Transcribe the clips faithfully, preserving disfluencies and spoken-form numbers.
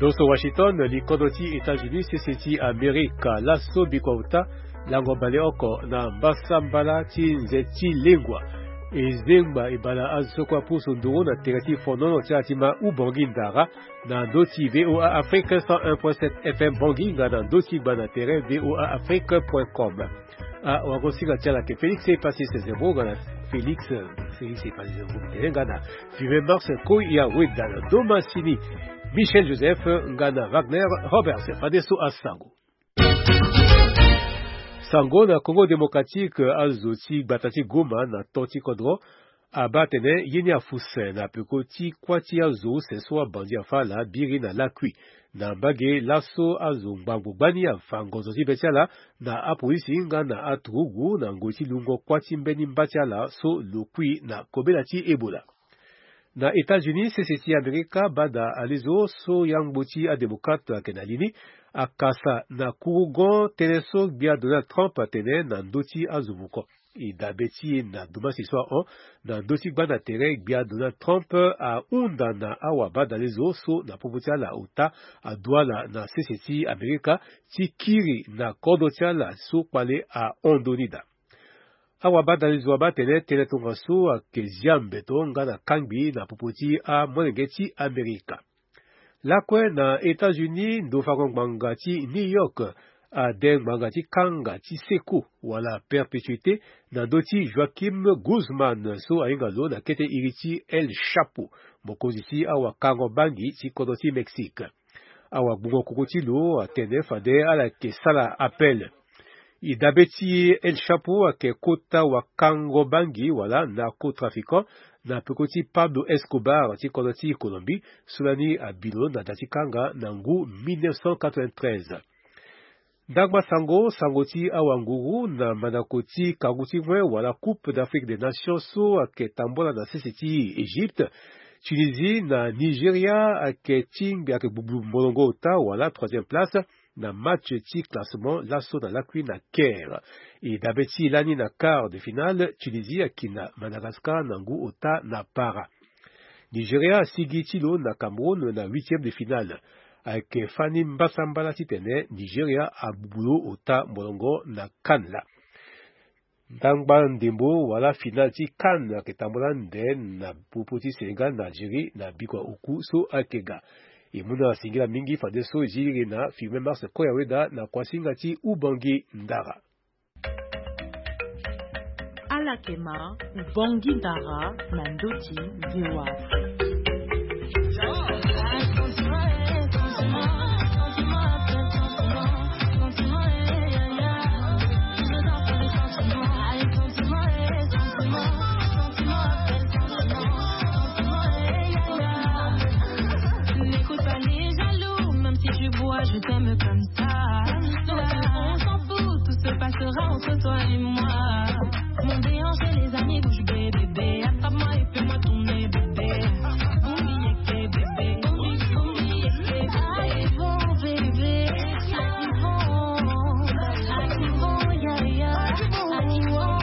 Poso Washington, li kodro ti États-Unis, sese ti Amerika, laso bikua ota lango baleoko na mbasambala ti nze ti lengua. E zengba e bala azo so kue apusu nduru na tere ti fonono ti ala ti ma Ubangui Ndara, na ndö ti VOA Afrique cent un point sept F M Bangui, nga na ndö ti gba na tere VOA Afrique point com. Ah, wagosinga ti ala ke Félix Epassi Sezemo, nga na Félix, Félix Epassi Sezemo, tene nga na Vive Mars Koya Weda na Domasini. Michel Joseph, nga na Wagner Roberts, fadeso asango. Sango na Congo Démocratique, azo ti gbata ti Goma na to ti kodro abaa atene ye ni afuse na peko ti kuâ ti azo use so abandi afa ala biri na lakui. Na mbage laso azo ngbangbo gbani afa ngonzo ti be ti ala na apolisi nga na aturugu na ngoi ti lungo kuâ ti mbeni mba ti ala so lo kui na kobela ti Ebola. Na États-Unis, sese ti Amerika baa daa alezo so yangbo ti adémocrate ayeke na li ni akasa na kurugon tënë so gbia Donald Trump atene na ndö ti azo vuko. E dabe ti e na dumasi so ahon na ndö ti gbanda tere gbia Donald Trump ahunda na awabadalezo so na popo ti ala ota adu ala na sese ti Amerika ti kiri na kodro ti ala so kpale ahon ndoni daa. Awabadalezo abaa atene tënë tongaso ayeke zia mbeto nga na kangbi na popo ti amolenge ti Amerika. Lakue na États-Unis, ndo fango ngbanga ti New York ade ngbanga ti kanga ti seko wala perpétuité na ndö ti Joaquim Guzman so ahinga lo na kete iri ti El Chapo, mokonzi ti awakango bangi ti kodro ti Mexique. Awagbungo koko ti lo atene fade ala yeke sara appel. E dabe ti El Chapo ayeke kota wakango bangi wala narcotrafiquant na peko ti Pablo Escobar ti kodro ti Colombie, so lani abi lo na da ti kanga na ngu mille neuf cent quatre-vingt-treize. Ndangba sango, sango ti awanguru na mandako ti kangu ti ngoi wala Coupe d'Afrique des Nations so ayeke tambola na sese ti Égypte. Tunisie na Nigeria ayeke tingbi, ayeke gbugbu molongo ota wala troisième place na match ti classement laso na lakui na Caire. E dabe ti e lani na quart de finale, Tunisie ayeke na Madagascar na ngu ota na para. Nigeria asigi ti lo na Cameroun na huitième de finale. Ayeke fani mbasambala titene Nigeria abubu lo ota molongo na CAN laa. Ndangba ndembo wala finale ti CAN ayeke tambola ande na popo ti Sénégal na Algérie na bikua oku so ayeke ga. E mu na singila mingi fadeso e zi iri na Firmin Mars Koya Weda na kuasinga ti Ubangi Ndara. Ala yeke ma Ubangi Ndara na ndö ti V O A. N'écoute pas les jaloux, même si tu bois, je t'aime comme ça. Non, on s'en fout, tout se passera entre toi et moi. Mon déhanché, les amis, bouge, bébé, bébé. Attrape-moi et fais-moi tourner, bébé. Boum, yeke, bébé. Boum, boum, yeke, bébé. Arrivons, bébé. Arrivons, arrivons, yaya. Arrivons.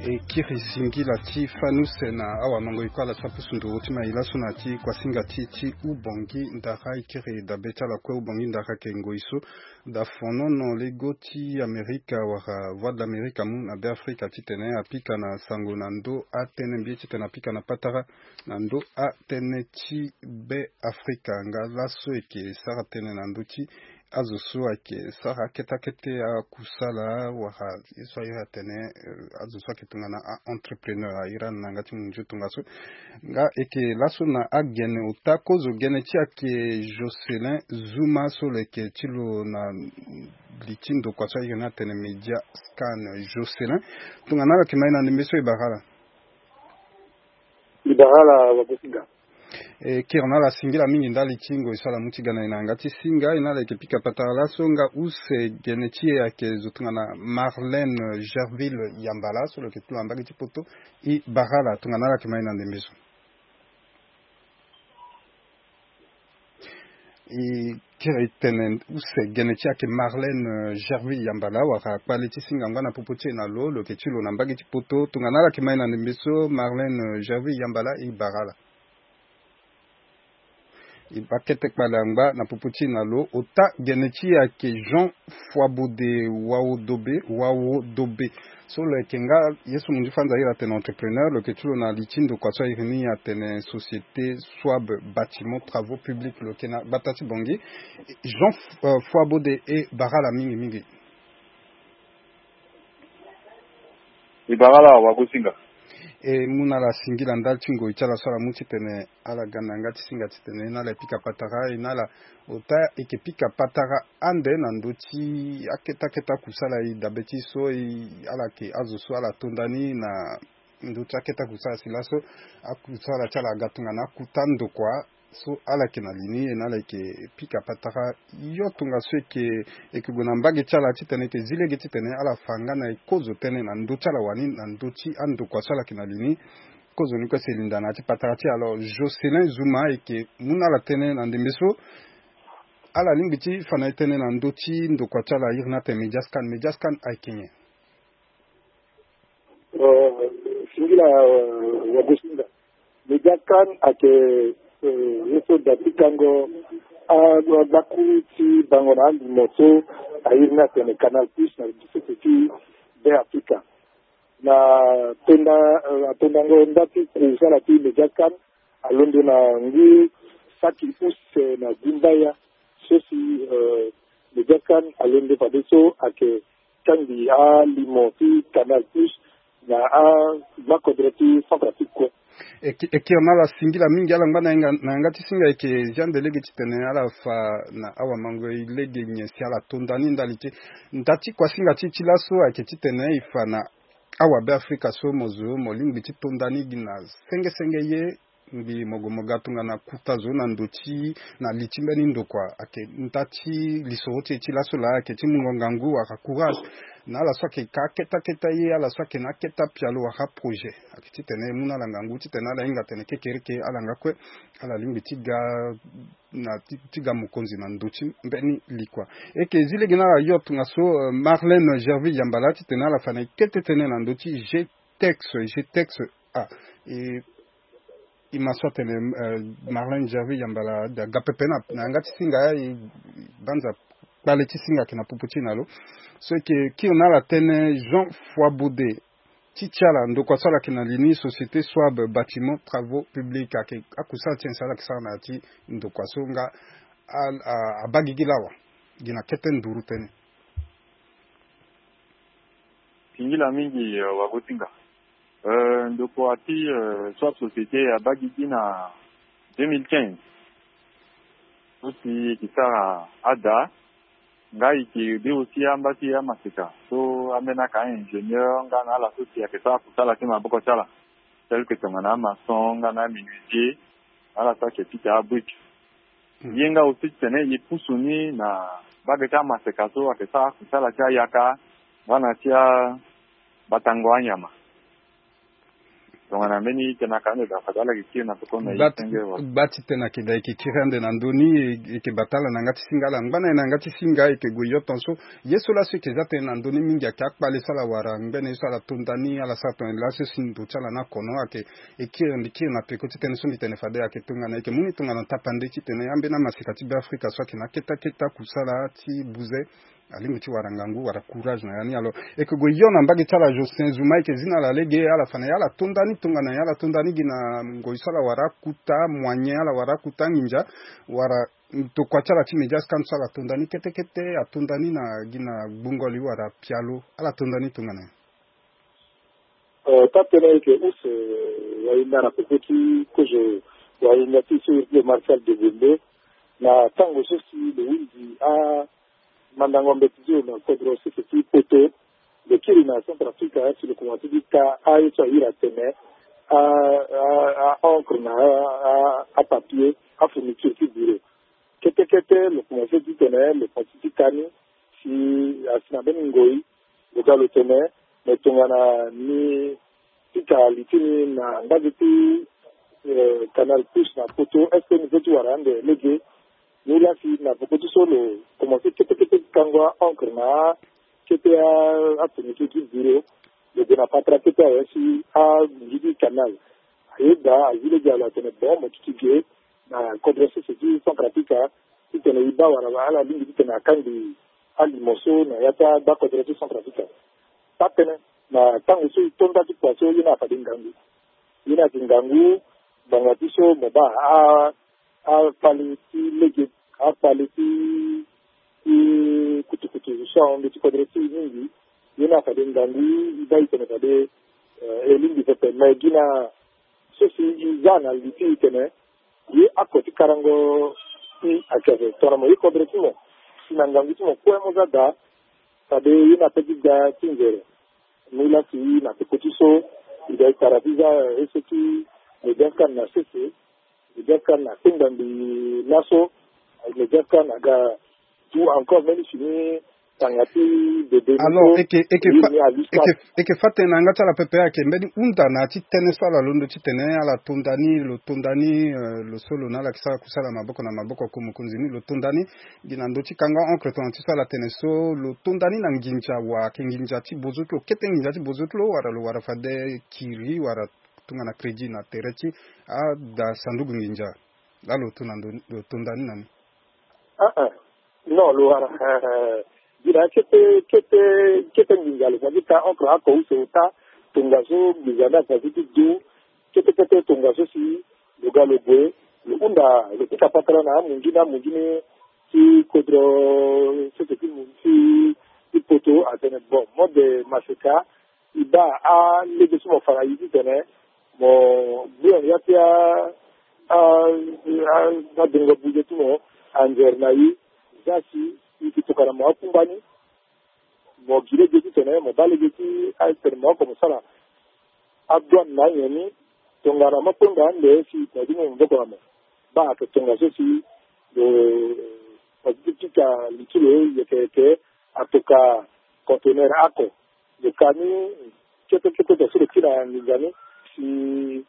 E kiri singila ti fani use na awanongo e kue ala so apusu nduru ti mai laso na ya ti kuasinga ti e ti Ubongi Ndara. E kiri dabe ti ala kue. Ubongi Ndara ayeke ngoi so da fonono lego ti Amerika wala Voix de l'Amérique amu na Beafrika titene apika na sango na ndö atënë mbi ye titene apika na patara na ndö atënë ti Beafrika. Nga laso e yeke sara tënë na ndö ti azo so ayeke sara akete akete akusala wala ye so airi atene, eh, azo so ayeke tongana a-entrepreneur, airi na yanga ti munzu tongaso. Nga e yeke laso na agene ota kozo, gene ti e ayeke Jocelyn Zuma so lo yeke ti lo na li ti ndokua so ayeke na atene Media Scan. Jocelyn, tongana ala yeke ma e na ndembe so, e bara ala. E bara ala, wagosinga. E kiri na ala singila mingi ndali ti ngoi so ala mu ti ga na e na yanga ti singa. E na ala yeke pika patara laso nga use, gene ti e ayeke zo tongana Marlène Gerville Yambala so lo yeke ti lo na mbage ti poto. E bara ala, tongana ala yeke ma e na ndembe so. E kiri tene use gene ti ayeke Marlène, euh, Gerville Yambala, wala kpale ti singa ngbâ na popo ti e na lo, lo yeke ti lo na mbage ti poto. Tongana ala yeke ma e na ndembe so, Marlène, euh, Gerville Yambala, e bara ala. E baa kete kpale angba na popo ti e na lo. Ota gene ti e ayeke Jean Foibode Waodobe, Waodobe. So lo yeke nga ye so mo ndi fanza iri atene entrepreneur, lo yeke ti lo na li ti ndokua so airi ni atene Société Swab Bâtiment Travaux Publics. Lo yeke na gbata ti Bangui. Jean F-, euh, Foibode, e bara ala mingi mingi. E bara ala wagosinga. E mu na ala singila ndali ti ngoi ti ala so ala mu titene ala ga na yanga ti singa titene e na ala e pika patara, e na ala ota e yeke pika patara ande na ndö ti akete akete akusala e dabe ti so e, ala yeke azo so ala to nda ni na ndö ti akete akusala si laso akusala ti ala aga tongana akuta ndokua so ala yeke na li ni, e na ala yeke pika patara. Yo tongaso e yeke, e yeke gue na mbage ti ala titene e yeke zi lege titene ala fa nga na e kozo tënë na ndö ti ala wani na ndö ti andokua so ala yeke na li ni. Kozo ni kue si e linda na ya ti patara ti e. Alors Jocelyn Zouma e yeke mu na ala tënë na ndembe so ala lingbi ti fa na e tënë na ndö ti ndokua ti ala iri ni atene Mediascan. Mediascan ayeke nyen? Euh, singila, euh, wagosinga. Mediascan ayeke, euh, ye so da pikango a, a, agbaku ti bango na alimo so airi ni atene Canal Plus na société ti Beafrika. Na tonda, euh, atondango nda ti kusala ti Mediascan alondo na ngu saki use na Dimbaya. So si, euh, Mediascan alondo fadeso ayeke kangbi alimo ti Canal Plus na amakodro ti Centrafrique kue. E ki-, e kiri na ala singila mingi, ala ngba na yanga, na yanga ti singa e yeke zia nde lege titene ala fa na awamango e lege nyen si ala to nda ni ndali ti, nda ti kuasinga ti e ti laso ayeke titene e fa na awabeafrika so mo zo mo lingbi ti to nda ni gi na senge senge ye. Ngbi mo gue mo ga tongana kuta zo na ndo ti, na li ti mbeni ndokua ayeke nda ti lisoro ti e ti laso laa ayeke ti mungo ngangu wala courage na ala so ayeke ka akete akete ye, ala so ayeke na akete apialo wala projet. Ayeke titene e mu na ala ngangu titene ala hinga atene kekereke ala nga kue ala lingbi ti ga na ti, ti ga mokonzi na ndo ti mbeni li kua. E yeke zi lege na ala yo tongaso, euh, Marlène Gerville Yambala titene ala fa na e kete tënë na ndo ti G T E X, G T E X. Ah, e, e ma so atene, euh, Marlène Gerville Yambala da ga pepe na, na yanga ti singa, e banza kpale ti singa ayeke na popo ti e na lo. So e yeke kiri na ala tënë Jean Foibode ti ti ala ndokua so ala yeke na li ni Société Swab Bâtiment Travaux Publics ayeke akusala ti nyen si ala yeke sara na ya ti ndokua so nga a, a, abaa gigi lawa gi na kete nduru tënë. Singila mingi, euh, wagosinga. Euh, ndokua ti, euh, Swab Société abaa gigi na deux mille quinze. So si e yeke sara ada, nga e yeke be aussi amba ti amaseka. So ambeni aka a-ingénieur nga na ala so si ayeke sara kusala ti maboko ti ala. Tel que tongana amaçon nga na amenuisier, ala so ayeke pika abrique. Hmm. Ye nga aussi titene e pusu ni na mbage ti amaseka so ayeke sara kusala ti ayaka nga na ti abatango anyama. Tongana mbeni tënë aka ande da fade ala yeke kiri na peko na e senge wa. Gba ti tënë ayeke da e yeke kiri ande na ndö ni, e yeke bata ala na yanga ti singa, ala ngba na e na yanga ti singa, e yeke gue yo tongaso. Ye so laso e yeke za tënë na ndö ni mingi ayeke akpale so ala wara ngbene ye so ala to nda ni, ala sara tongana laso si ndo ti ala ni akono ayeke. E kiri, mbi kiri na peko ti tënë so mbi tene fade ayeke tongana e yeke mu ni tongana tapande titene ambeni amaseka ti Beafrika so ayeke na akete akete akusala ti buze alingbi ti wara ngangu wala courage na ya ni. Alors e yeke gue yo na mbage ti ala Jocelyn Zouma, e yeke zi na ala lege ala fa na e ala to nda ni tongana nyen, ala to nda ni gi na ngoi so ala wara akuta moyen, ala wara akuta anginza, wala ndokua ti ala ti Mediascan so ala to nda ni kete kete ato nda ni na gi na gbungo li wala pialo, ala to nda ni tongana nyen? Euh, taa-tënë ayeke use, euh, wahinda na popo ti kozo wahinda ti so iri ti lo Marcel Degonde. Na tango so si lo hunzi amandango mbeti ti lo na kodro sese ti poto, lo kiri na Centrafrique si lo komanse ti ka aye so a iri atene a, a, a encre na a, a, apapier, afourniture ti bureau. Kete kete lo komanse titene lo poti ti ka ni si asi na mbeni ngoi lo ga lo tene. Me tongana ni pika li ti ni na mbage ti, eh, Canal Plus na poto, est-ce que ni peut ti wara ande lege? Ni la si na peko ti so lo komanse kete kete ti kango a-encre na akete a-, ateneke ti bureau. Lo gue na patara kete awe si amungi ti canal. Aye daa azi lege alo atene bon mo duti ge na kodro sese ti Centrafrique titene e baa wala ala lingbi titene akangbi alimo so na ya ti agba kodro ti Centrafrique. Taa tënë na tango so e to nda ti kua so ye ni afade ngangu. Ye ni ayeke ngangu ngbanga ti so mo baa a, akpale ti lege, akpale ti, ti kutukutu so ahon nde ti kodro ti e mingi. Ye ni afade ngangu e baa e tene fade, eh, e lingbi pepe me gi na so si e za na li ti e tene ye ako ti karango ti ayeke ape tongana mo ye kodro ti mo si na ngangu ti mo kue mo za daa. Fade ye ni ape ti ga ti nzere. Ni la si na peko ti so e ga e tara ti za, eh, ye so ti Madagascar na sese, Madagascar na kpengba mbi laso, Madagascar na ga du encore mbeni fini tanga ti bebe ni. Alors so eke eke fa eke eke fa tënë na yanga ti ala pepe ayeke mbeni hunda na ya ti tënë so ala londo titene ala tonda ni, lo tonda ni, eh, lo so lo na ala yeke sara kusala maboko na maboko oko mokonzi ni lo tonda ni gi na ndö ti kanga encre tongana ti so ala tene so lo tonda ni na nginza wala ayeke nginza ti bozo ti lo kete nginza ti bozo ti lo wala lo wara fade kiri wala tongana crédit na tere ti ada sanduku nginza. Laa lo to na ndö ni lo tonda ni na ni. Ah, ah. Non, lo wara, eh, eh, gi na kete, kete, kete nginza lo fa ti ka entre ako use ota, tongaso nginza ni afa ti ti du, kete, kete tongaso si lo ga lo gue, lo hunda, lo pika patara na amungi ni, amungi ni ti kodro, sese ti mu-, ti, ti poto, atene, bon, mode maseka, e baa alege ti mo fa na e titene mo gbu na ya ti a, a, a, adongo buze ti mo anzere na e, za si e yeke tokana mo akungba ni, mo gi lege titene mo baa lege ti atene mo oko mo sara adouane na anyen ni, tongana mo kpengba ande si mo dumu maboko na mo. Baa ayeke tongaso si lo, mo duti ti pika li ti lo yeke yeke atoka conteneur ako. Lo ka ni kete kete tongaso lo kiri na nginza ni si,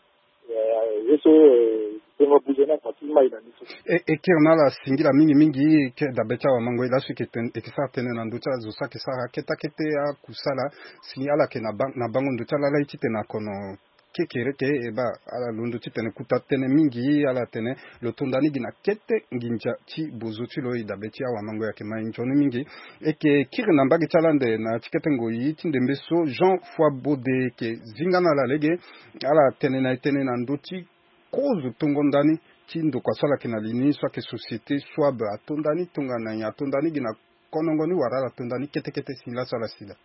eh, ye so, eh, tongo buze ni ako ti mai na ni so. E, e kiri na ala singila mingi mingi, e ke dabe ti awamango e laso e yeke ten-, e yeke sara tënë na ndö ti azo so ayeke sara kete kete akusala si ala yeke na ba-, na bango ndo ti ala laa e titene akono kekereke e baa ala londo titene kuta tënë mingi ala tene lo tonda ni gi na kete nginza ti bozo ti lo e dabe ti awamango e ayeke mai nzoni mingi. E yeke kiri na mbage ti ala ande na ya ti kete ngoi ti ndembe so Jean Foibode e yeke zinga na ala lege ala tene na e tënë na ndö ti kozo tongo ndani ti ndokua so ala yeke na li ni so ayeke société Swab atonda ni tongana nyen atonda ni gi na konongo ni wala ala tonda ni kete kete si laso ala sila.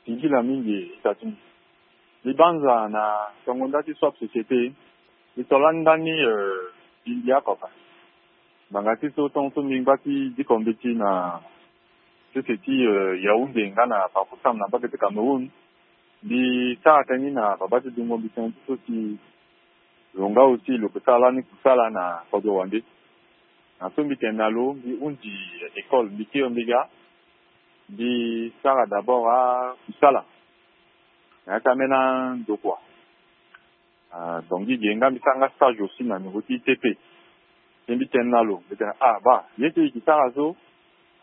Singila mingi tatu. Mbi banza na tongo nda ti Swab société. Mbi to lani ndani, eh, mbi mbi akoka. Ngbanga ti so tongo so mbi ngba ti diko mbeti na sese ti, eh, Yaoundé nga na Bafoussam na mbage ti Cameroun. Mbi sara tënë ni na babâ ti dungo mbi tënë ti so si lo nga aussi lo ke sara lani kusala na kodro wande. Na so mbi tene na lo mbi hunzi école mbi kiri mbi ga. Mbi sara d'abord akusala na ya ti ambeni andokua. Ah, donc gi ge nga mbi sara nga stage aussi na niveau ti I T P. Ti mbi tene na lo mbi tene ah baa ye so e ke sara so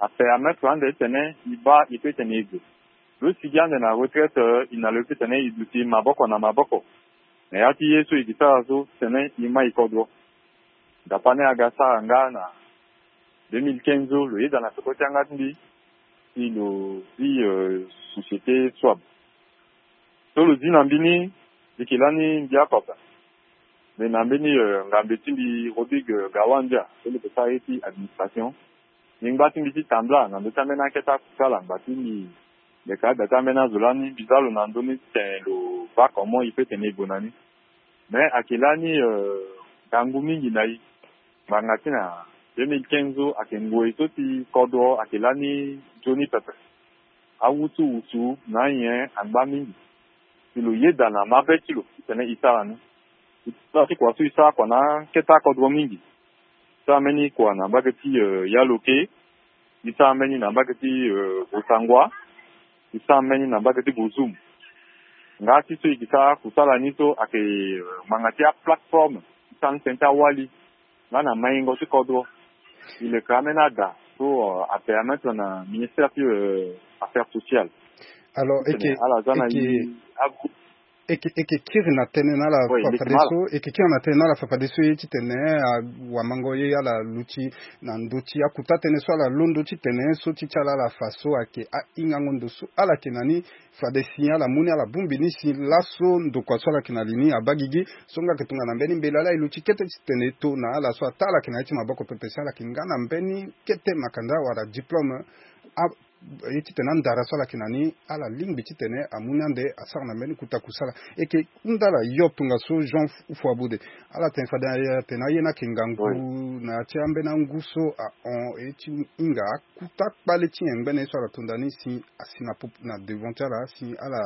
apermettre ande titene e baa e peut tene e gue. Lo sigi ande na retraite, eh, e na lo e peut tene e duti maboko na maboko na ya ti ye so e ke sara so titene e mai kodro. Dapa ni aga sara nga na deux mille quinze so lo yeda na peko ti yanga ti mbi si lo zi, eh, société Swab. So lo zi na mbi ni mbi yeke lani mbi akoka. Me na mbeni, eh, ngambe ti mbi Rodrigue, eh, Gawandia so lo yeke sara ye ti administration. Mbi ngba ti mbi ti tambula na ndö ti ambeni akete akusala ngba ti mbi. Mbi yeke ada ti ambeni azo lani mbi za lo na ndö ni titene lo baa comment e peut tene e gue na ni. Me ayeke lani, eh, ngangu mingi na e. Ngbanga ti na deux mille quinze so ayeke ngoi so ti kodro ayeke lani nzoni pepe. Awutuwutu na anyen angba mingi. Si lo yeda na mabe ti lo titene e sara ni. E sara ti kua so e sara kua na akete akodro mingi. E sara mbeni kua na mbage ti, eh, Yaloke. E sara mbeni na mbage ti, eh, Bossangoa. E sara mbeni na mbage ti Bozoum. Nga ti so e ke sara kusala ni so ayeke, eh, ngbanga ti aplateforme. sara ni tene ti awali nga na maingo ti kodro. E leke ambeni ada so, euh, apermettre na ministère ti, euh, affaires sociales. Alors eke ala za na eke ye agu- eke eke kiri na tënë na ala. Oui, fafadeso eke kiri na tënë na ala fafadeso ye titene awamango ye ala luti na ndö ti akuta tënë so ala londo titene so ti ti ala ala fa so ayeke ahingango ndo so ala yeke na ni. Fade si ala mu ni ala bongbi ni si laso ndokua so ala yeke na li ni abaa gigi so nga ayeke tongana mbeni mbela laa e luti kete titene e to na ala so ataa ala yeke na ya ti maboko pepe si ala yeke nga na mbeni kete makanda wala diplôme. A- ye titene andara so ala yeke na ni ala lingbi titene amu ni ande asara na mbeni kota kusala. Eke hunda ala yo tongaso Jean Fuabude. Ala tene fade atene aye ni ayeke ngangu na ya ti ambeni angu so ahon ye ti hinga akuta kpale ti nyen ngbene ye so ala to nda ni si asi na devant ti ala si ala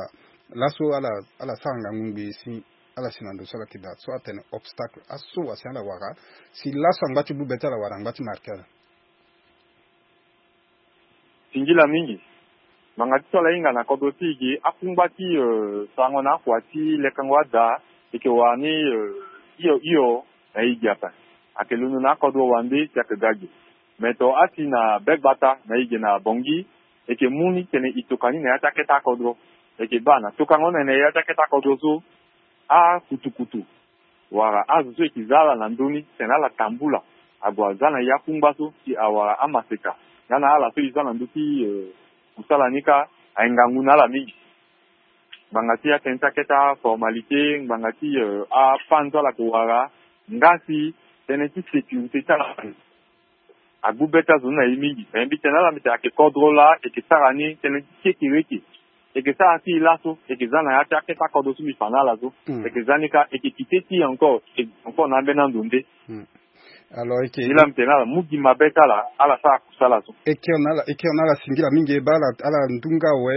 laso ala ala sara ngangu ngbii si ala si na ndo so ala yeke daa so atene obstacle aso wa si ala wara si laso angba ti bube ti ala wala angba ti marke ala. Singila mingi. Ngbanga ti so ala hinga na kodro ti e ge akungba ti, euh, sarango na akua ti lekango ada. E yeke wara ni, euh, hio hio na e ge ape. Ayeke londo na akodro wande si ayeke ga ge. Me to asi na be gbata na e ge na Bangui. E yeke mu ni tene e toka ni na ya ti akete akodro. E yeke baa na tokango ni na ya ti akete akodro so akutukutu wala azo so e yeke za ala na ndö ni tene ala tambula ague aza na ya kungba so si awara amaseka. Nga na ala so e za na ndö ti, euh, kusala ni kâ ayeke ngangu na ala mingi. Ngbanga ti atënë ti akete aformalité ngbanga ti, euh, apanzo ala yeke wara nga si tënë ti sécurité ti ala. Agbu be ti azo ni na e mingi me mbi tene na ala mbi tene ayeke kodro laa e yeke sara ni tënë ti kekereke. E yeke sara ti e laso e yeke za na ya ti akete akodro so mbi fa na ala so. E yeke za ni kâ e yeke kite ti e encore e yeke encore na ambeni ando nde. Alors e yeke ni laa mbi tene na ala mu gi mabe ti ala ala sara kusala so. E kiri na ala e kiri na ala singila mingi e baa ala ala ndunga awe.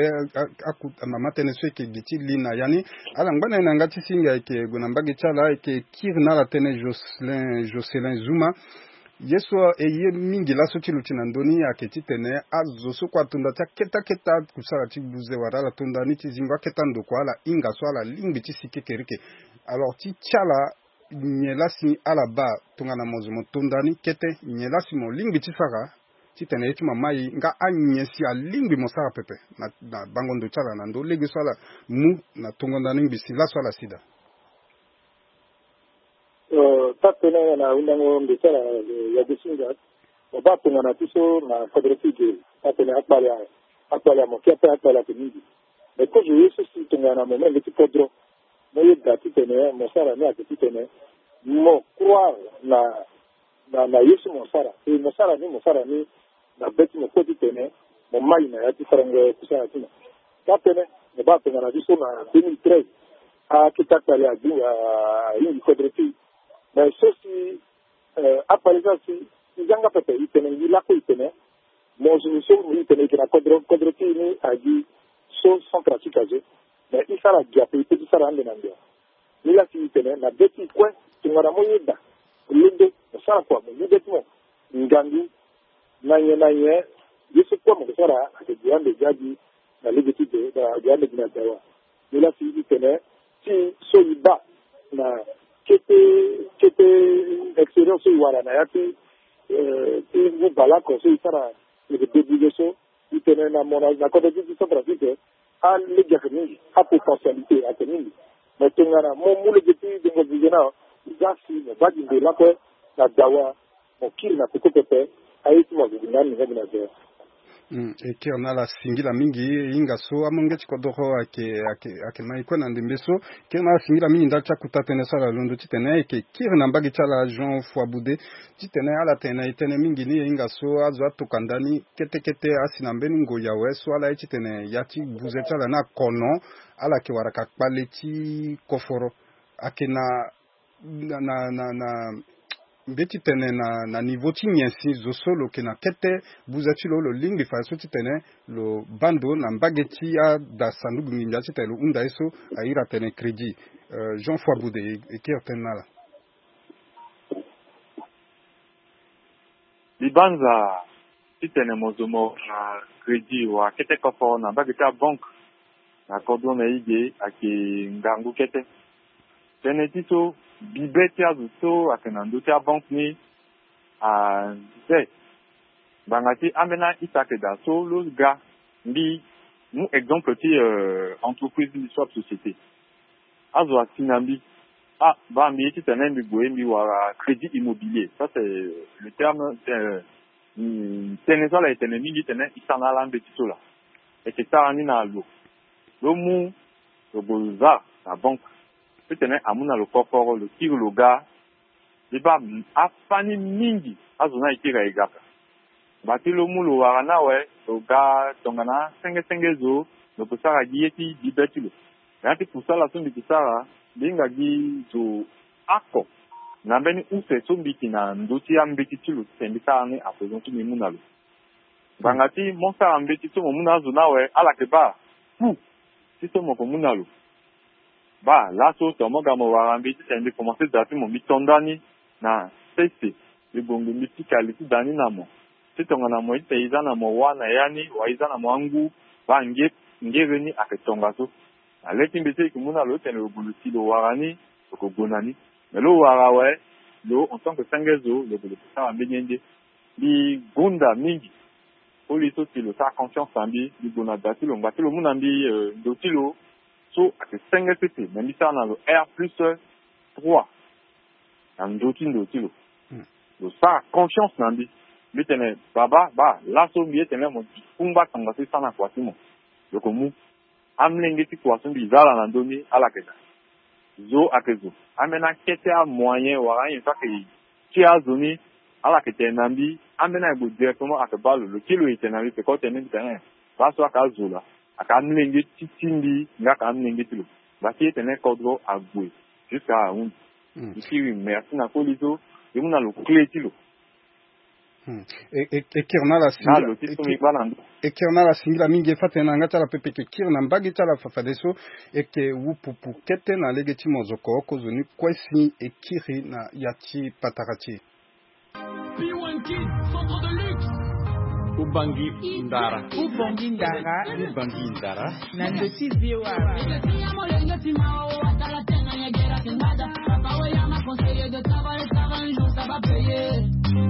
Aku mama tënë so e yeke gi ti li na ya ni. Ala ngba na e na yanga ti singa e yeke gue na mbage ti ala e yeke kiri na ala tënë Jocelyn Jocelyn Zuma. Ye so e ye mingi laso ti luti na ndö ni ayeke titene azo so kue ato nda ti akete akete akusala ti buze wala ala to nda ni ti zingo akete andokua ala hinga so ala lingbi ti si kekereke. Alors ti ti ala nyen laa si ala baa tongana mo zo mo to nda ni kete nyen laa si mo lingbi ti sara titene ye ti mo amai nga anyen si alingbi mo sara pepe na na bango ndo ti ala na ndö lege so ala mu na tongo nda ni ngbi si laso ala si daa. Taa tënë na hundango mbi ti ala ya ge ti nza. Mo baa tongana ti so na kodro ti ge taa tënë akpale akpale amo ke ape akpale ayeke mingi. Me kozo ye so si tongana mo menge ti kodro mo yeda titene mo sara ni ayeke titene mo croire na na na ye so mo sara e mo sara ni mo sara ni na be ti mo kue titene mo mai na ya ti sarango kusala ti mo. Taa tënë mo baa tongana ti so na deux mille treize akete akpale ahingi kodro ti e. Me so si akpale so asi ti zanga pepe e tene ngi lakue e tene mo zo so e tene e yeke na kodro kodro ti e ni agi so centre afrique azo. Me e sara gi ape e pe ti sara ande na ndia. Ni laa si e tene na be ti e kue tongana mo yeda mo londo mo sara kua mo mu be ti mo ngangu na nyen na nyen ye so kue mo yeke sara ayeke gi ande gi agi na lege ti de na gi ande gi na dawa. Ni laa si e tene ti so e baa na kete kete expérience so e wara na ya ti ti ngu baleoko so e sara e yeke débrouiller so e tene na mo na kodro ti ti centre afrique alege ayeke mingi apotentialité ayeke mingi. Me tongana mo mu lege ti dengo vision na za si mo baa gi nde lakue na dawa mo kiri na koko pepe. Aye ti mo ague gi na ni nga gi na dawa. E kiri na ala singila mingi e hinga so amolenge ti kodoro ayeke ayeke ayeke mai kue na ndembe so. Kiri na ala singila mingi ndali ti akuta tënë so ala londo titene e yeke kiri na mbage ti ala Jean Foiboude titene ala tene na e tënë mingi ni e hinga so azo atoka nda ni kete kete asi na mbeni ngoi awe so ala ye titene ya ti buze ti ala ni akono ala yeke wara ka kpale ti koforo. Ayeke na na na na na mbi ye ti tene na na niveau ti nyen si zo so lo yeke na kete buze ti lo lo lingbi fadeso titene lo baa ndo na mbage ti ada sanduku nginza titene lo hunda ye so ahiri atene crédit. Jean Foiboude e kiri tënë na ala. Mbi banza titene mo zo mo wara crédit wala kete koforo na mbage ti abanke na kodro na e ge ayeke ngangu kete. Tënë ti so Bibe ti azo so ayeke na ndö ti abanke ni, a, nze. Ngbanga ti ambeni a-ita ayeke daa so lo ga. Mbi mu exemple ti, euh, entreprise ni so, société. Azo asi na mbi. Ah, baa, mbi ye titene mbi gue mbi wara crédit immobilier. Ça, c'est le terme, euh, mm, tënë so ala yeke tene mingi titene e sara na ala mbeti so laa. E yeke sara ni na lo. Lo mu, lo gue lo za na banque. Titene amu na lo kokoro, lo kiri lo ga. Mbi baa, afani mingi azo ni ayeke iri aye ga ka. Ngba ti lo mu lo wara ni awe, lo ga tongana senge senge zo, lo ke sara gi ye ti bibe ti lo. Na ya ti kusala so mbi ke sara, mbi hinga gi zo oko na mbeni use so mbi yeke na ndö ti ambeti ti lo titene mbi sara ni à présent so mbi mu na lo. Ngbanga ti mo sara mbeti so mo mu na azo ni awe, ala yeke baa coût ti so mo yeke mu na lo. Baa, laso tongana mo ga mo wara mbi titene mbi komanse da ti mo, mbi to ndani na sese, mbi bongbi mbi pika li ti da ni na mo. Ti tongana mo ye titene e za na mo wâ na ya ni, wala e za na mo angu, baa, nge, ngere ni ayeke tongaso. Na le ti mbeti so e yeke mu na lo titene lo gue lo si lo wara ni, lo yeke gue na ni. Me lo wara awe, lo en tant que senge zo, lo gue lo ke sara mbeni ye nde. Mbi gonda mingi. Koli so si lo sara confiance na mbi, mbi gue na da ti lo, ngba ti lo mu na mbi, euh, ndo ti lo so ayeke senge sese, me mbi sara na lo R plus trois na ndo ti ndo ti lo. Hmm. Lo sara confiance na mbi. Mbi tene, baba, baa, laso mbi ye tene mo kungba tongaso e sara na kua ti mo. Lo yeke mu. Amolenge ti kua so mbi za ala na ndö ni, ala yeke daa. Zo ayeke zo. Ambeni akete amoyen wala anyen so ayeke ti azo ni, ala yeke tene na mbi, ambeni aye gue directement ayeke baa lo, lo kiri lo e tene na mbi, peko tene mbi tene, baa so ayeke azo laa, ayeke amolenge ti ti mbi, nga ayeke amolenge ti lo. Ngba ti ye tene kodro ague jusqu'à ahunzi. Hmm. Mbi kiri merci na koli so e mu na lo clé ti lo. Hmm. E, e, e kiri na ala singila, e kiri na ala singila mingi, e fa tene na yanga ti ala pepe e yeke kiri na mbage ti ala fafadeso, e yeke wu pupu kete na lege ti mozoko kozoni kue si e kiri na ya ti patara ti e. P one Kid, centre de luxe. Ubangi ndara. Ubangi ndara. Ubangi ndara. Na ndo ti V O A.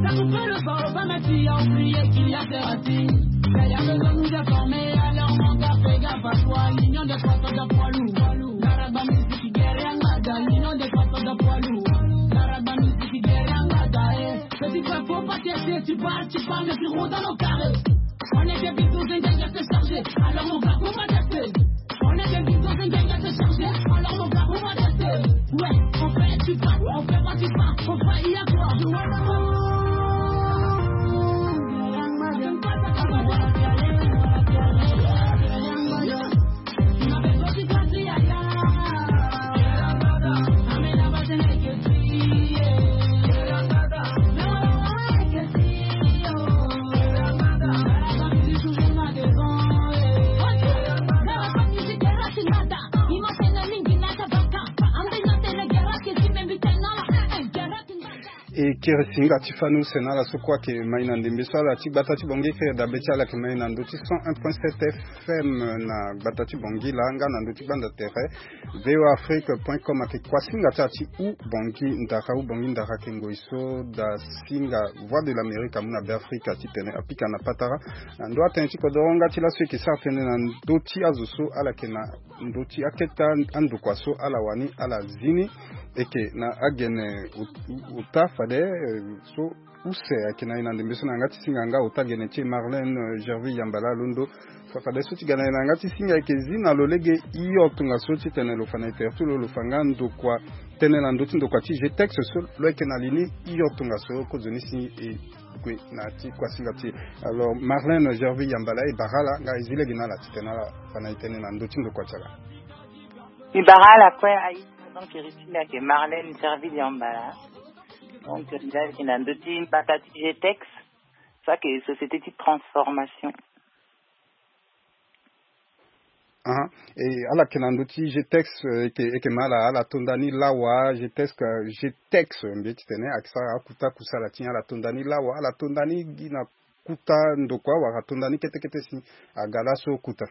Ça vous fait le bord, pas ma fille a oublié qu'il y a des racines. Mais il y a besoin de nous informer, alors mon gars, fais gaffe à toi. L'union des forces de poids lourd. Garaba musique, guerre, ngada. L'union des forces de poids lourd. Garaba musique, guerre, ngada, eh. Petit frère, faut pas t'inquiéter, tu parles, tu parles, mais tu rentres dans nos carrés. On est des bisous, c'est un gars qui se charger. Alors mon gars, faut pas tester. On est des bisous, c'est un gars qui se charger. Alors mon gars, faut pas tester. Ouais, on fait, tu parles, on fait pas, tu parles, on fait, il y a quoi. E kiri singa ti fani use na ala so kue ayeke mai na ndembe so ala ti gbata ti Bangui, e kiri dabe ti ala ayeke mai na ndö ti cent un point sept F M na gbata ti Bangui laa nga na ndö ti gbanda tere V O A Afrique point com. Ayeke kuasinga ti ala ti Ubangui ndara. Ubangui ndara ayeke ngoi so da singa Voix de l'Amérique amu na Beafrika titene apika na patara. Na ndo atënë ti kodoro nga ti laso e yeke sara tënë na ndö ti azo so ala yeke na ndö ti akete andokua so ala wani ala zi ni. E yeke na agene ot-, ota fade, eh, so use ayeke na e na ndembe so na yanga ti singa nga ota gene ti e Marlène, eh, Gerville Yambala alondo. Fa-, fadeso ti ga na e na yanga ti singa e yeke zi na lo lege hio tongaso titene lo fa na e tere ti lo, lo fa nga ndokua, tënë na ndö ti ndokua ti G T E X so lo yeke na li ni hio tongaso kozoni si e gue na ti kuasinga ti e. Alors, Marlène Gerville Yambala, e bara ala, nga e zi lege na ala titene ala fa na e tënë na ndö ti ndokua ti ala. E bara ala kue, aye, donc, e zi ni ayeke Marlène Gerville Yambala. Donc, e zi lege na ndö ti mbata ti G T E X, so ayeke société ti transformation. Ah, e ala yeke na ndö ti G T E X, eh, e yeke, e yeke ma ala, ala to nda ni lawa, G T E X, eh, G T E X, eh, mbi ye titene ayeke sara akuta kusala ti e, ala to nda ni lawa, ala to nda ni gi na kuta ndokua, wala to nda ni kete kete si aga laso kuta.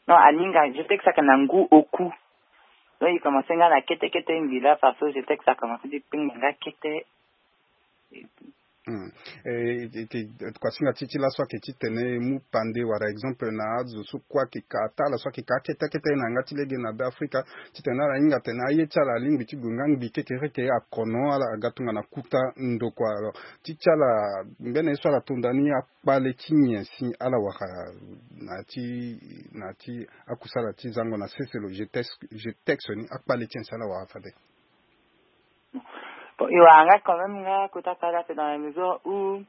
Non, aninga, G T E X ayeke na ngu oku. Donc il commence nga na kete kete ngi la parce que je sais que ça commence ti pinganga kete. Hmm. E, e, e, kuasinga ti ti laso ayeke titene e mu pande wala exemple na azo so kue ayeke ka ata ala so ayeke ka akete akete na yanga ti lege na be afrika, titene ala hinga atene aye ti ala alingbi ti gue nga ngbi kekereke akono ala aga tongana kuta ndokua. Alors ti ti ala mbeni ye so ala tonda ni akpale ti nyen si ala wara na ti na ti akusala ti zango na sese lo je texte je texte ni akpale ti nyen si ala wara fade? Bon, e wara nga quand même nga kota kala ape dans la mesure où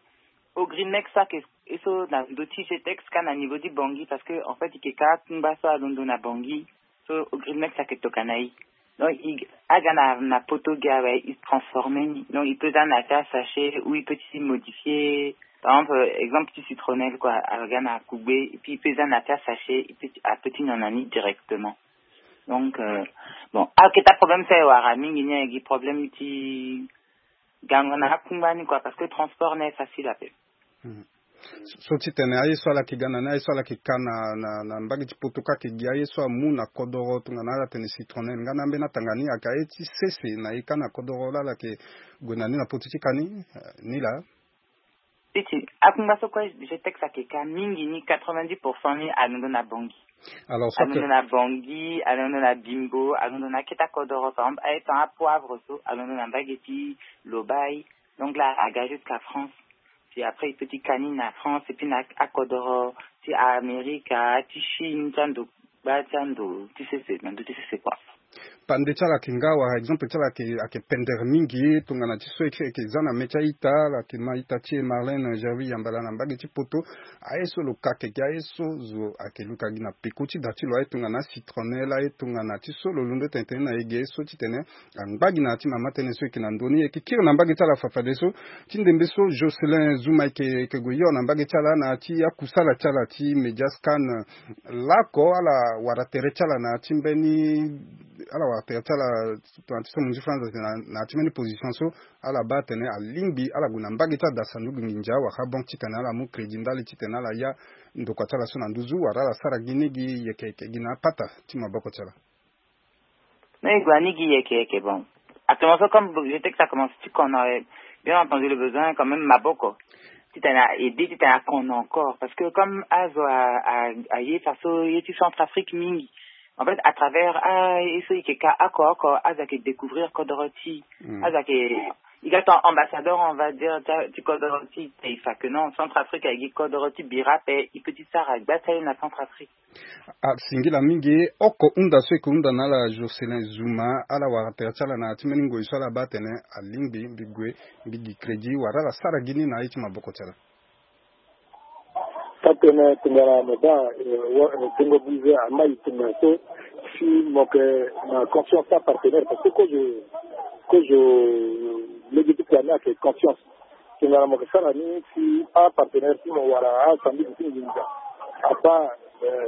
au green next so ayeke e so na ndo ti je texte ka na niveau ti bangi parce que en fait e yeke ka akungba so alondo na bangi. So au green next so ayeke tokana e donc e aga na na poto gi awe e transforme ni donc e peut za na ti asachet ou e peut ti modifier par exemple exemple ti citronnelle quoi aga na kugbe et puis e peut za na ti asachet e peut ti nyon na ni directement. Donc euh, bon aketa problème so e wara mingi ni ayeke problème ti gango na akungba ni quoi parce que transport na e facile ape. So titene aye so ala yeke ga na ni aye so ala yeke ka na na na mbage ti poto kâ ayeke gi aye so amu na kodoro tongana ala tene citronnelle nga na ambeni atanga ni ayeke aye ti sese na e kâ na kodoro laa ala yeke gue na ni na poto ti kâ ni. Ni laa. Iti akungba so kue je texte ayeke ka mingi ni quatre-vingt-dix pour cent ni alondo na bongi. Alors so alondo na bongi alondo na bimbo alondo na akete akodoro par exemple aye ton apoivre so alondo na mbage ti lobai. Donc là aga jusqu'à France. Puis après e peut ti ka ni na France et puis na akodoro ti amerika ti chine ti ando gba ti ando ti sese na ndo ti sese kua. Pande ti ala ayeke nga wala exemple ti ala ayeke pendere mingi tongana ti so e yeke za na me ti a-ita ala yeke ma ita ti e Marlène Gerville Yambala na mbage ti poto. Aye so lo ka keke aye so zo ayeke luka gi na peko ti da ti lo aye tongana citronnelle aye tongana ti so lo londo tene tene na e ge so titene angba gi na ya ti mama tënë so e yeke na ndö ni e yeke kiri na mbage ti ala fafadeso. Ti ndembe so Jocelyn Zuma e yeke e yeke gue hio na mbage ti ala na ya ti akusala ti ala ti média scan. Laoko ala wara tere ti ala na ya ti mbeni ala wara tere ti ala tongana ti so mo nzi france na ya ti mbeni position so ala baa atene alingbi ala gue na mbage ti ada sanduku nginza wala banque titene ala mu crédit ndali titene ala ya ndokua ti ala so na nduzu wala ala sara gi ni gi yeke yeke gi na apata ti maboko ti ala. Mais e gue ani gi yeke yeke bon. Actuellement so comme je sais que ça commence ti kono. Bien entendu le besoin quand même maboko titene a aide titene a kono encore parce que comme azo a a a ye faso ye ti centrafrique mingi. En fait à travers a ye so e yeke ka oko oko azo ayeke découvrir kodoro ti azo ayeke e ga ton ambassadeur on va dire ti kodoro ti taifa que non centrafrique ayeke gi kodoro ti bira ape e peut ti sara gba ti aye na centrafrique. Asingila mingi. Oko hunda so e yeke hunda na ala Jocelyn Zuma ala wara tere ti ala na ya ti mbeni ngoi so ala baa atene alingbi mbi gue mbi gi crédit wala ala sara gi ni na aye ti maboko ti ala. Tatene tongana mo baa tongo bize amai tongana so si mo yeke na confiance ti apartenaire parce que kozo kozo lege ti kua ni ayeke confiance. Tongana mo yeke sara ni si apartenaire ti mo wala asambisi ti nginza abaa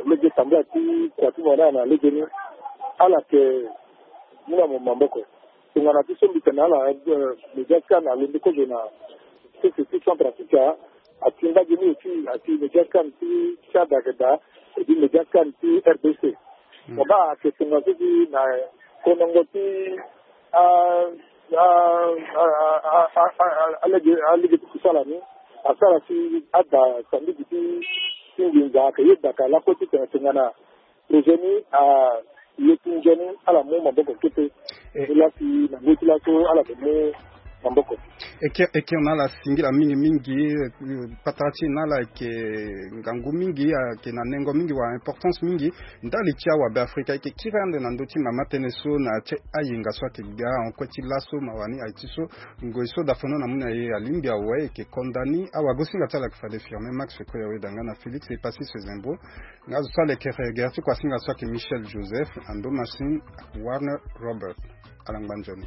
lege tambula ti kua ti mo ni ala na lege ni ala yeke mu na mo maboko. Tongana ti so mbi tene na ala média scan alondo kozo na sese ti centrafrique. Ati mbage ni aussi ati média scan ti tchad ayeke daa edi média scan ti rdc. Mo baa ayeke tongana so si na konongo ti a a a a a alege alege ti kusala ni asara si ada sambiki ti ti nginza ayeke yeda ka lakue titene tongana projet ni a ye ti nzoni ala mu maboko kete. Ni laa si na ngoi ti laso ala yeke mu maboko. Eke eke na ala singila mingi mingi. Patara ti e na ala ayeke ngangu mingi ayeke na nengo mingi wala importance mingi. Ndali ti awabe afrika ayeke kiri ande na ndö ti mama tënë so na ya ti ayenga so ayeke ga en kue ti laso mawa ni aye ti so ngoi so dafono na mu na ye alingbi awe ayeke konda ni awagosinga ti ala ayeke fade firme max feko ya weda nga na félix epassis zembo. Nga zo so ala yeke regere ti kuasinga so ayeke michel joseph ando machine warner robert. Ala ngba nzoni.